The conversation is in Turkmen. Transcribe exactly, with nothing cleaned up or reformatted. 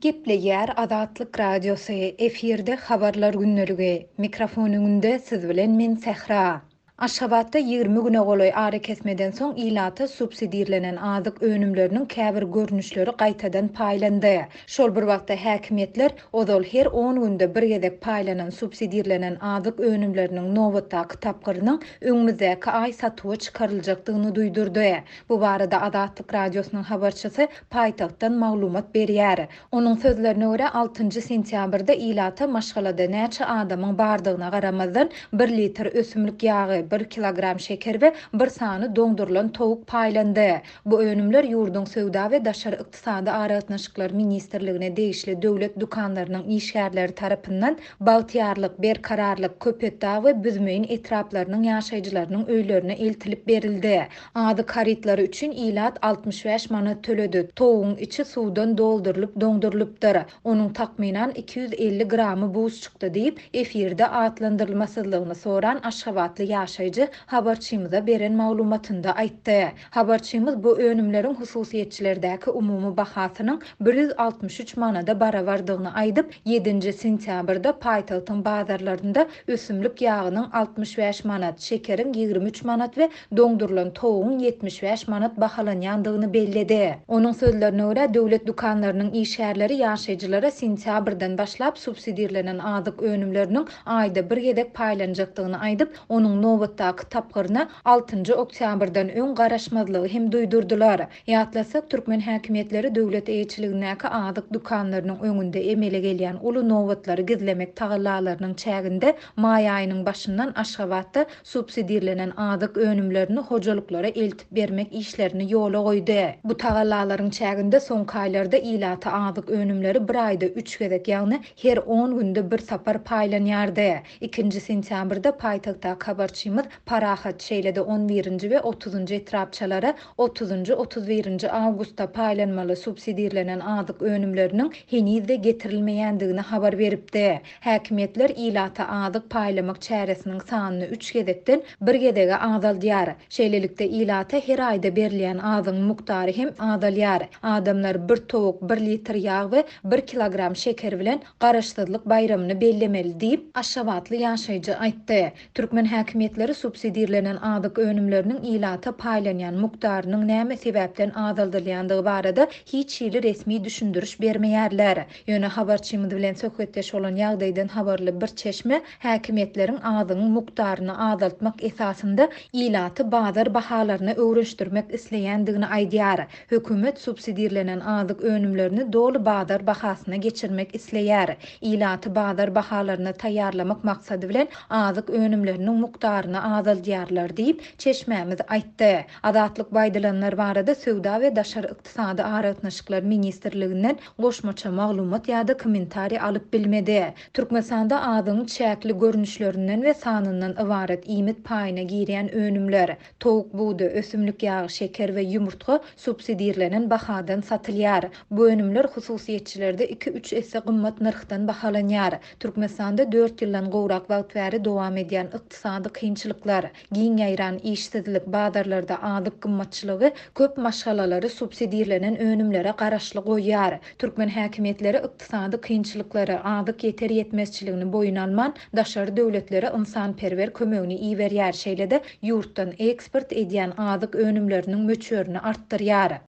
Gepleýär Azatlyk Radiosy, efirde Habarlar gündeligi. Mikrofon öňünde siz bilen men Sähra. Aşgabatda ýigrimi güne golaý arakesmeden soň ilata subsidirlenen azyk önümleriniň käbir görnüşleri gaýtadan paýlandy. Şol bir wagtda häkimiýetler ozal her on günde bir gezek paýlanan subsidirlenen azyk önümleriniň nobatdaky tapgyrynyň öňümizdäki aý satuwa çykaryljakdygyny duýdurdy. Bu barada Azatlyk Radiosynyň habarçysy paýtagtdan maglumat berýär. Onuň sözlerine görä altynjy sentýabrda ilata maşgalada näçe adamyň bardygyna garamazdan bir litr ösümlik ýagy, bir kilogram şeker we bir sany doňdurylan towuk paýlandy. Bu önümler ýurduň söwda we daşary ykdysady aragatnaşyklar ministrligine degişli döwlet dükanlarynyň işgärleri tarapyndan Bagtyýarlyk, Berkararlyk, Köpetdag we Büzmeýin etraplarynyň ýaşaýjylarynyň öýlerine eltilip berildi. Azyk harytlary üçin ilat altmyş bäş manat töledi. Towugyň içi suwdan doldurylyp doňdurylypdyr. Onuň takmynan iki ýüz elli gramy buz çykdy diýip, efirde atlandyrylmasyzlygyny soran Aşgabatly ýaşaýjy habarçymyza beren maglumatynda aýtdy. Habarçymyz bu önümleriň hususyýetçilerdäki umumy bahasynyň bir ýüz altmyş üç manada barabardygyny aýdyp, ýedinji sentýabrda paýtagtyň bazarlarynda ösümlik ýagynyň altmyş bäş manat, şekeriň ýigrimi üç manat we doňdurylan towugyň ýetmiş bäş manat bahalanýandygyny belledi. Onuň sözlerine görä döwlet dükanlarynyň işgärleri ýaşaýjylara sentýabrdan başlap subsidirlenen azyk önümleriniň aýda bir gezek paýlanjakdygyny aýdyp, onuň nobatdaky tapgyryna altynjy oktýabrdan öň garaşmazlygy hem duýdurdylar. Ýatlasak, türkmen häkimiýetleri döwlet eýeçiligindäki azyk dükanlarynyň öňünde emele gelýän uly nobatlary gizlemek tagallalarynyň çäginde maý aýynyň başyndan Aşgabatda subsidirlenen azyk önümlerini hojalyklara eltip bermek işlerini ýola goýdy. Bu tagallalaryň çäginde soňky aýlarda ilata azyk önümleri bir aýda üç gezek, ýagny her on günde bir sapar paýlanýardy. Ikinji sentýabrda paýtagtdaky habarçymyz Parahat, şeýle-de on birinji we otuzynjy etrapçalara otuzynjy, otuz birinji awgustda paýlanmaly subsidirlenen azyk önümleriniň henizde getirilmeýändigini habar beripdi. Häkimiýetler ilata azyk paýlamak çäresiniň sanyny üç gezekden bir gezege azaldýar. Şeýlelikde ilata her aýda berilýän azygyň mukdary hem azalýar. Adamlar bir towuk, bir litr ýag we bir kilogram şeker bilen garaşsyzlyk baýramyny bellemeli diýip, Aşgabatly ýaşaýjy aýtdy. Türkmen häkimiýetleri subsidirlenen azyk önümleriniň ilata paýlanýan mukdarynyň näme sebäpden azaldylýandygy barada hiç hili resmi düşündiriş bermeýärler. Ýöne habarçymyz bilen söhbetdeş bolan ýagdaýdan habarly bir çeşme häkimiýetleriň azygyň mukdaryny azaltmak esasynda ilaty bazar bahalaryna öwrenişdirmek isleýändigini aýdýar. Hökümet subsidirlenen azyk önümlerini doly bazar bahasyna geçirmek isleýär. Ilaty bazar bahalaryna taýýarlamak maksady bilen azyk önümleriniň mukdaryny azaldýarlar diýip, çeşmämiz aýtdy. Azatlyk baýdylanlar barada Söwda we Daşary Ykdysady Aragatnaşyklar Ministrliginden goşmaça maglumat ýa-da kommentariý alyp bilmedi. Türkmenistanda azygyň çäkli görnüşlerinden we sanyndan ybarat iýmit paýyna girýän önümler, towuk budy, ösümlik ýagy, şeker we ýumurtga subsidirlenen bahadan satylýar. Bu önümler hususyýetçilerde iki-üç esse gymmat nyrhdan bahalanýar. Türkmenistanda dört ýyldan gowrak wagt bäri dowam edýän ykdysady kynçylyklar, giň ýaýran işsizlik, bazarlarda azyk gymmatçylygy köp maşgalalary subsidirlenen önümlere garaşly goýýar. Türkmen häkimiýetleri ykdysady kynçylyklary, azyk ýeter ýetmezçiligini boýun alman, daşary döwletlere ynsanperwer kömegini iberýär, şeýle-de ýurtdan eksport edýän azyk önümleriniň möçberini artdyrýar.